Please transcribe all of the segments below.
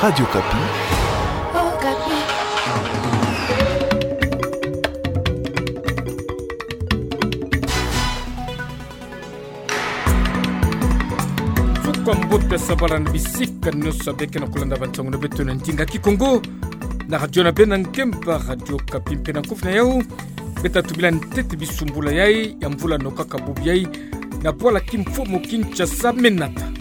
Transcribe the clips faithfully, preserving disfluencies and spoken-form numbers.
Radio Okapi. Suka mbote, sabala na bisika nyonso beke na kulanda bantangu na beto na ndinga Kikongo. Na radio na beno ngemba, Radio Okapi, mpe na nkufi na yau. Beta tubila ntete bisumbula yai ya mvula nokaka bubu yai na bwala kimfumu Kinshasa menata.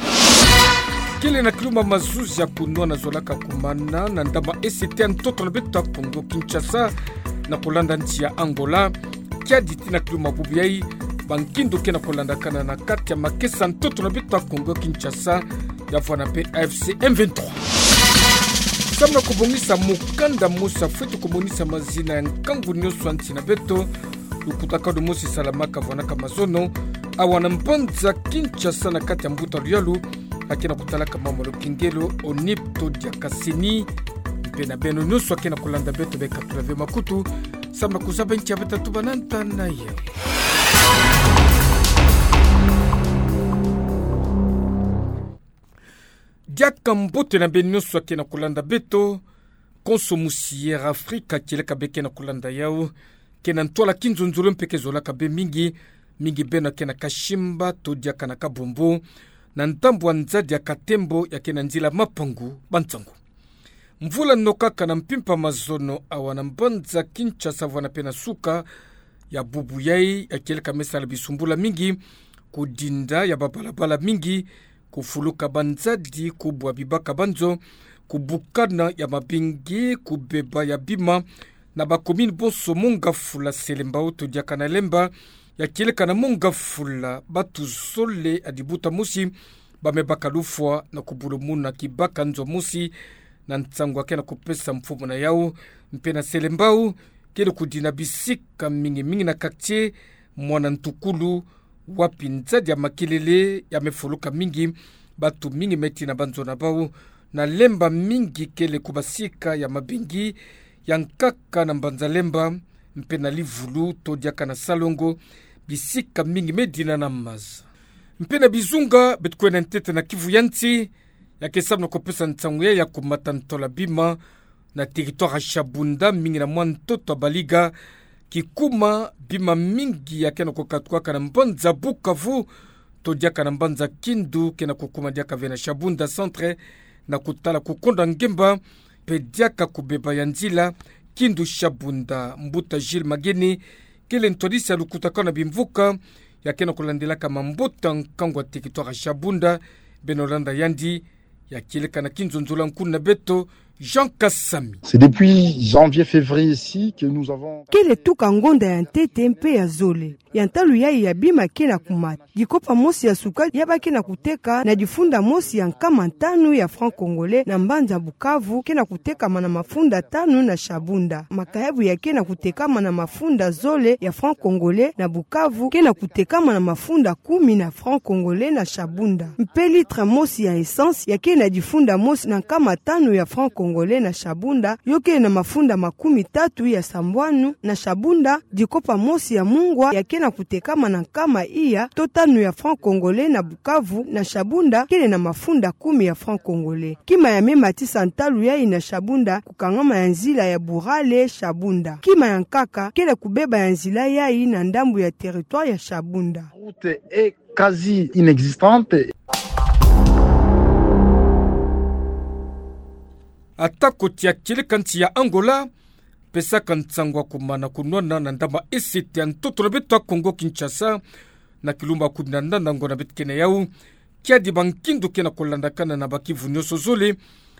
Kele na kilumba mazuzi ya kunwana zolaka kumana na ndambu ya ese ya ntoto na beto ya Kongo Kinshasa, na kulanda nsi ya Angola. Kiadi ti na kilumba bubu yai, bankindu ke na kulandakana na kati ya makesa ntoto na beto ya Kongo Kinshasa, ya vwanda mpe A F C M vingt-trois. Samu na kubongisa mukanda mosi, fweti kumonisa mazina ya nkangu nyonso ya nsi na beto. Lukutakanu mosi salamaka vwanaka mazono awa na mbanza Kinshasa na kati ya mbuta luyalu, ya ke na kutalaka mambu ya lukengelo, ONIP to diaka CENI. Mpe na beno nyonso ya ke na kulanda beto, beka tula ve makutu, samu na kuzaba ntia beta tubana nta na yau. Diaka mbote na beno nyonso ya ke na kulanda beto. Konso mosi ya Afrika kieleka beke na kulanda yau, ke na ntwala kinzonzolo mpe ke zolaka be mingi, mingi beno ya ke na kasimba to diaka na kabombo, na ndambu ya nzadi ya Katembo ya ke na nzila Mapangu Bansango. Mvula nokaka na mpimpa mazono awa na mbanza Kinshasa vwanda mpe na suka ya bubu yai, ya kieleka me sala bisumbula mingi, kudinda ya babalabala mingi, kufuluka banzadi, kubwa bibaka banzo, kubukana ya mabingi, kubeba ya bima, na bakomini bonso mongafula Selembao to diaka na Lemba, ya kieleka na mongafula batu zole ya dibuta mosi, ba me baka lufwa na kubulumuna kibaka nzo mosi, na nsangu ya ke na kupesa mfumu na yau, mpe na Selembao, kele kudinda bisika mingi mingi na quartier Mwana Ntukulu, wapi nzadi ya makelele ya me fuluka mingi, batu mingi me tina banzo na bau, na Lemba mingi kele kubasika ya mabingi, ya nkaka na mbanza Lemba, mpe na Livulu to diaka na Salongo, bisika mingi me dinda na maza. Mpe na bizunga, beto kwenda ntete na Kivu ya nsi, ya ke samu na kupesa nsangu ya, ya kumata ntola bima, na territoire ya Shabunda, mingi na mwa ntoto ya Baliga, kikuma bima mingi ya ke na kukatuaka na mbanza Bukavu, to diaka na mbanza Kindu, ke na kukuma diaka ve na Shabunda centre, na kutala kukonda ngemba, mpe diaka kubeba ya nzila Kindu Shabunda. Mbuta Gilles Mageni, kele ntwadisi ya lukutakanu na bimvuka, ya ke na kulandilaka mabota nkangu ya territoire ya Shabunda, beno landa yandi, ya kieleka na kinzonzolo ya nkuna na beto, Jean Kasami. C'est depuis janvier, février ici que nous avons... Kele tuka ngonda ya ntete mpe ya zole, ya ntalu yai ya bima ke na kumata. Dikopa mosi ya sukali ya ba ke na kuteka na difunda mosi ya nkama tanu ya francs congolais na mbanza Bukavu ke na kutekama na mafunda tanu na Shabunda. Makayabu ya ke na kutekama na mafunda zole ya francs congolais na Bukavu ke na kutekama na mafunda kumi na francs congolais na Shabunda. Mpe litre mosi ya essence ya ke na difunda mosi na nkama tanu ya francs congolais na Shabunda, yo ke na mafunda makumi tatu ya sambwanu na Shabunda. Dikopa mosi ya mungwa ya ke na kutekama na nkama iya to tanu ya francs congolais na Bukavu, na Shabunda kele na mafunda kumi ya francs congolais. Kima ya me matisa ntalu yai na Shabunda, kukangama ya nzila ya Burale Shabunda. Kima ya nkaka kele kubeba ya nzila yai na ndambu ya territoire ya Shabunda. La route est quasi inexistante. Ata ko tia kieleka nsi ya Angola, pesaka nsangu ya kumana kunwana na ndambu ya ese ya ntoto na beto ya Kongo Kinshasa, na kilumbu ya kumi na nana ngonda beto ke na yau, kiadi bankindu ke na kulandakana na ba kivu nyonso zole,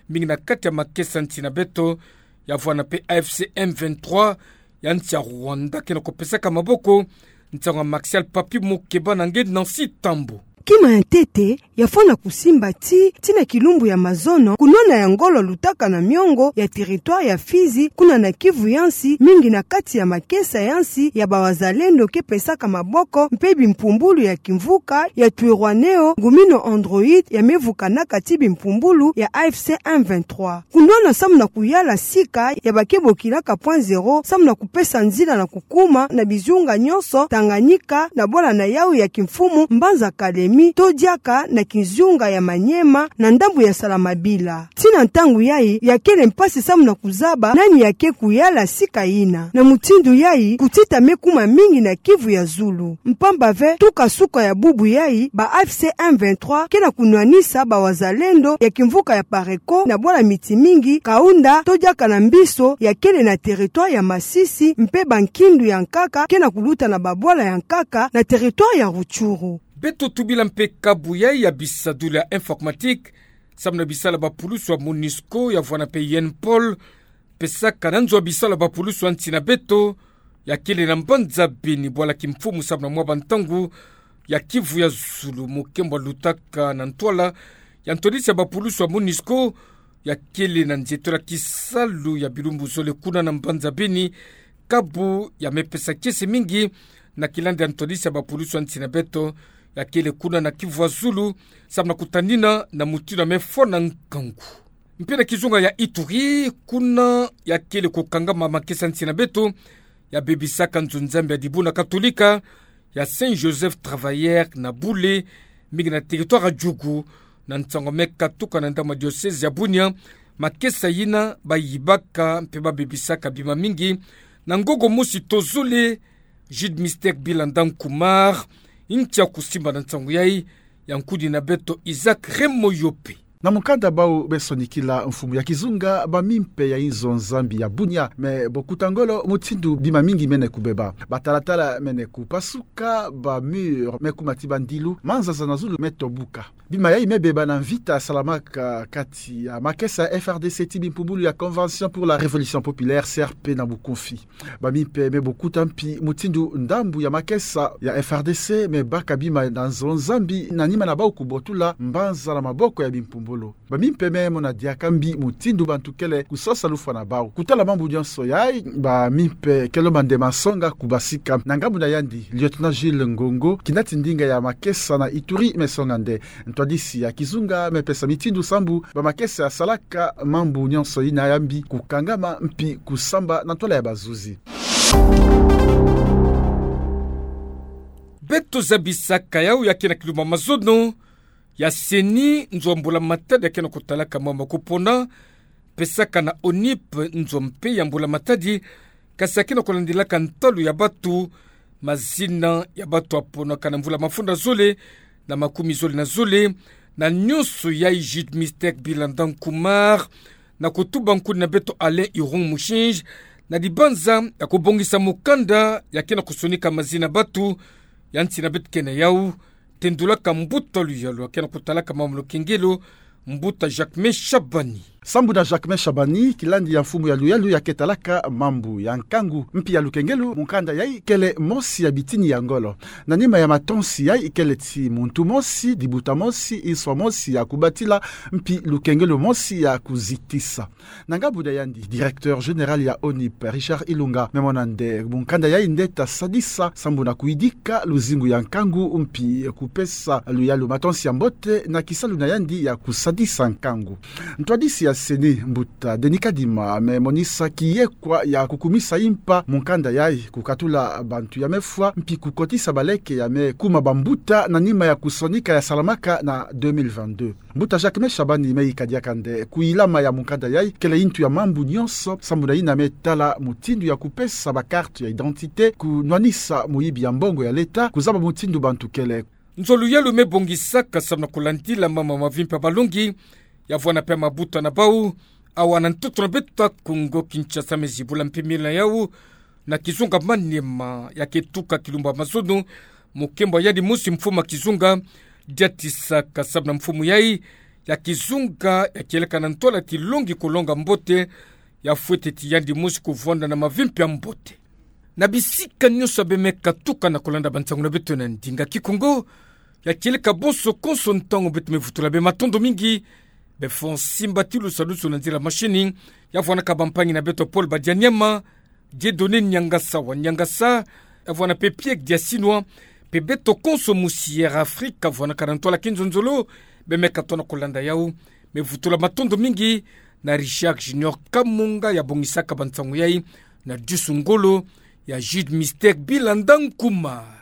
mingi na kati ya makesa nsi na beto, ya vwanda mpe A F C M vingt-trois, ya nsi ya Rwanda ke na kupesaka maboko. Nsangu ya Martial Papi Mukeba na nge Nancy Tambo. Kima ya ntete, ya fwana kusimba ti, ti na kilumbu ya mazono, kunwana ya ngolo lutaka na miongo ya territoire ya Fizi, kuna na Kivu ya nsi, mingi na kati ya makesa ya nsi ya ba wazalendo ke pesaka maboko, mpe bimpumbulu ya kimvuka ya Twirwaneho, ngumino Android, ya me vukanaka ti bimpumbulu ya A F C M vingt-trois. Kunwana samu na kuyala sika ya ba ke bokilaka point zéro, samu na kupesa nzila na kukuma na bizunga nyonso Tanganyika, na bwala na yau ya kimfumu Mbanza Kalemi. mi to diaka na kizunga ya Maniema na ndambu ya Salamabila. Tii na ntangu yayi, yakele mpasi samu na kuzaba nani yake kuyala sika yina. Na mutindu yayi, kutita me kuma mingi na Kivu ya zulu. Mpamba ve, tuka suka ya bubu yayi, ba A F C M vingt-trois ke na kunwanisa bawazalendo ya kimvuka ya Pareko na bwala miti mingi, Kaunda, to diaka na Mbiso, yakele na territoire ya Masisi, mpe bankindu ya nkaka ke na kuluta na babwala ya nkaka na territoire ya Rutshuru. Beto tubila mpe kabu yayi ya bisadulu ya informatique, samu na bisalu ya bapulusu ya MONUSCO, ya vwanda mpe UNPOL, pesaka na nzo ya bisalu ya bapulusu ya nsi na beto, yakele na mbanza Beni bwala kimfumu samu na mwa bantangu, ya Kivu ya zulu. Mukembo alutaka na ntwala ya ntwadisi ya bapulusu ya MONUSCO, yakele na nzietolo ya kisalu ya bilumbu zole kuna na mbanza Beni, kabu ya me pesa kiese mingi na kilandi ya ntwadisi ya bapulusu ya nsi na beto, yakele kuna na Kivu ya zulu, samu na kutanina na mutindu ya me fwa na nkangu. Mpe na kizunga ya Ituri, kuna yakele kukangama makesa ya nsi na beto, ya bebisaka nzo-Nzambi ya Dibundu Katolika, ya Saint Joseph Travailleur na Boulet, mingi na territoire ya Djugu, na nsangu ya me katuka na ndambu ya diocèse ya Bunia, makesa yina bayibaka mpe babebisaka bima mingi, na ngongo mosi to zole. Jude Mystère Bilanda Nkumar, ntia kusimba na nsangu yayi, ya nkuni na beto Isaac Remoyope. Na mukanda bau me sonikila mfumu ya kizunga, bamimpe ya inzo-Nzambi ya Bunia me bokuta ngolo mutindu bima mingi mene kubeba. Batalatala mene kupasuka, ba mur me kuma ti bandilu, manzanza na zulu me tobuka. Bima yayi me beba na mvita salamaka kati ya makesa ya F R D C ti bimpumbulu ya Convention pour la Révolution Populaire, C R P na bukunfi. Bamimpe me bokuta mpi mutindu ndambu ya makesa ya F R D C me baka bima na nzo-Nzambi na nima na bau kubotula mbanza na maboko ya bimpumbulu. Bamimpe me mona diaka mbi mutindu bantu kele kusosa lufwa na bau. Kutala mambu nyonso yayi, bamimpe ke lomba nde masonga kubasika. Na ngambu na yandi, lieutenant Jules Ngongo, kinati ndinga ya makesa na Ituri, me songa nde. Ntwadisi ya kizunga me pesa mitindu sambu bamakesa yasalaka mambu nyonso yina ya mbi kukangama mpi kusamba na ntwala ya bazuzi. Beto zabisaka yawu ya ke na kilumbu ya mazono ya CENI, nzo ya mbula matadi ya ke na kutalaka mambu ya kupona, pesaka na ONIP nzo mpe ya mbula matadi, kasi ya ke na kulandilaka ntalu ya batu, mazina ya batu ya ponaka na mvula mafunda zole na makumi zole na zole, na nyonso yayi Jude Mystère Bilanda Nkumar, na kutuba nkuni na beto Alain Irung Mushinji, na dibanza ya kubongisa mukanda ya ke na kusonika mazina batu, ya nsi na beto ke na yawu, tendulaka mbuta luyalu ya ke na kutalaka mambu lukengelo, mbuta Jacquemain Shabani. Sambu na Jacquemain Shabani, kilandi ya mfumu ya luyalu ya ke talaka mambu ya nkangu. Mpi ya lukengelo, mukanda yayi kele mosi ya bitini ya ngolo. Na nima ya matonsi yayi kele ti muntu mosi, dibuta mosi, nswa mosi ya kubatila, mpi lukengelo mosi ya kuzitisa. Na ngambu na yandi, directeur général ya ONIP, Richard Ilunga, me mona nde mukanda yayi nde ta sadisa sambu na kuyidika luzingu ya nkangu mpi kupesa luyalu matonsi ya mbote na kisalu na yandi ya kusadisa nkangu. Ntwadisi ya CENI, mbuta Denis Kadima, me monisa kiyekwa ya kukumisa mpa mukanda yayi, kukatula bantu ya me fwa, mpi kukotisa baleke ya me kuma bambuta na nima ya kusonika ya salamaka na deux mille vingt-deux. Mbuta Jacquemain Shabani me yika diaka nde kuyilama ya mukanda yayi kele yintu ya mambu nyonso, sambu na yina me tala mutindu ya kupesa ba carte ya identité, kunwanisa muyibi ya mbongo ya leta, kuzaba mutindu bantu kele. Nzo luyalu me bongisaka sambu na kulandila mama mavimpi ya balongi, ya vwanda mpe mabuta na bawu, awa na ntoto na beto ya Kongo Kinshasa, me zibula mpe mila yawu na kizunga Maniema, ya ke tuka kilumbu ya mazono, mukembo ya yandi mosi mfumu ya kizunga, diatisaka sambu na mfumu yayi ya kizunga ya kieleka na ntwala ti longi kulonga mbote, ya fwete ti yandi mosi kuvwanda na mavimpi ya mbote. Na bisika nyonso ya be me katuka na kulanda bansangu na beto na ndinga Kikongo, ya kieleka bonso konso ntangu beto me vutula be matondo mingi, be fundi simbatilu salusu na nzila machine, ya vwandaka bampangi na beto Paul Badianyama, Dieudonné Niangasa wa Niangasa, ya vwanda mpe Pierre Diasinwa, mpe beto konso mu Sierra Africa, vwandaka na ntwala kinzonzolo, be me katuka na kulanda yawu, me vutula matondo mingi na Richard Junior Kamunga ya bongisaka bansangu yayi, na disu ngolo ya Jude Mystère Bilanda Nkumar.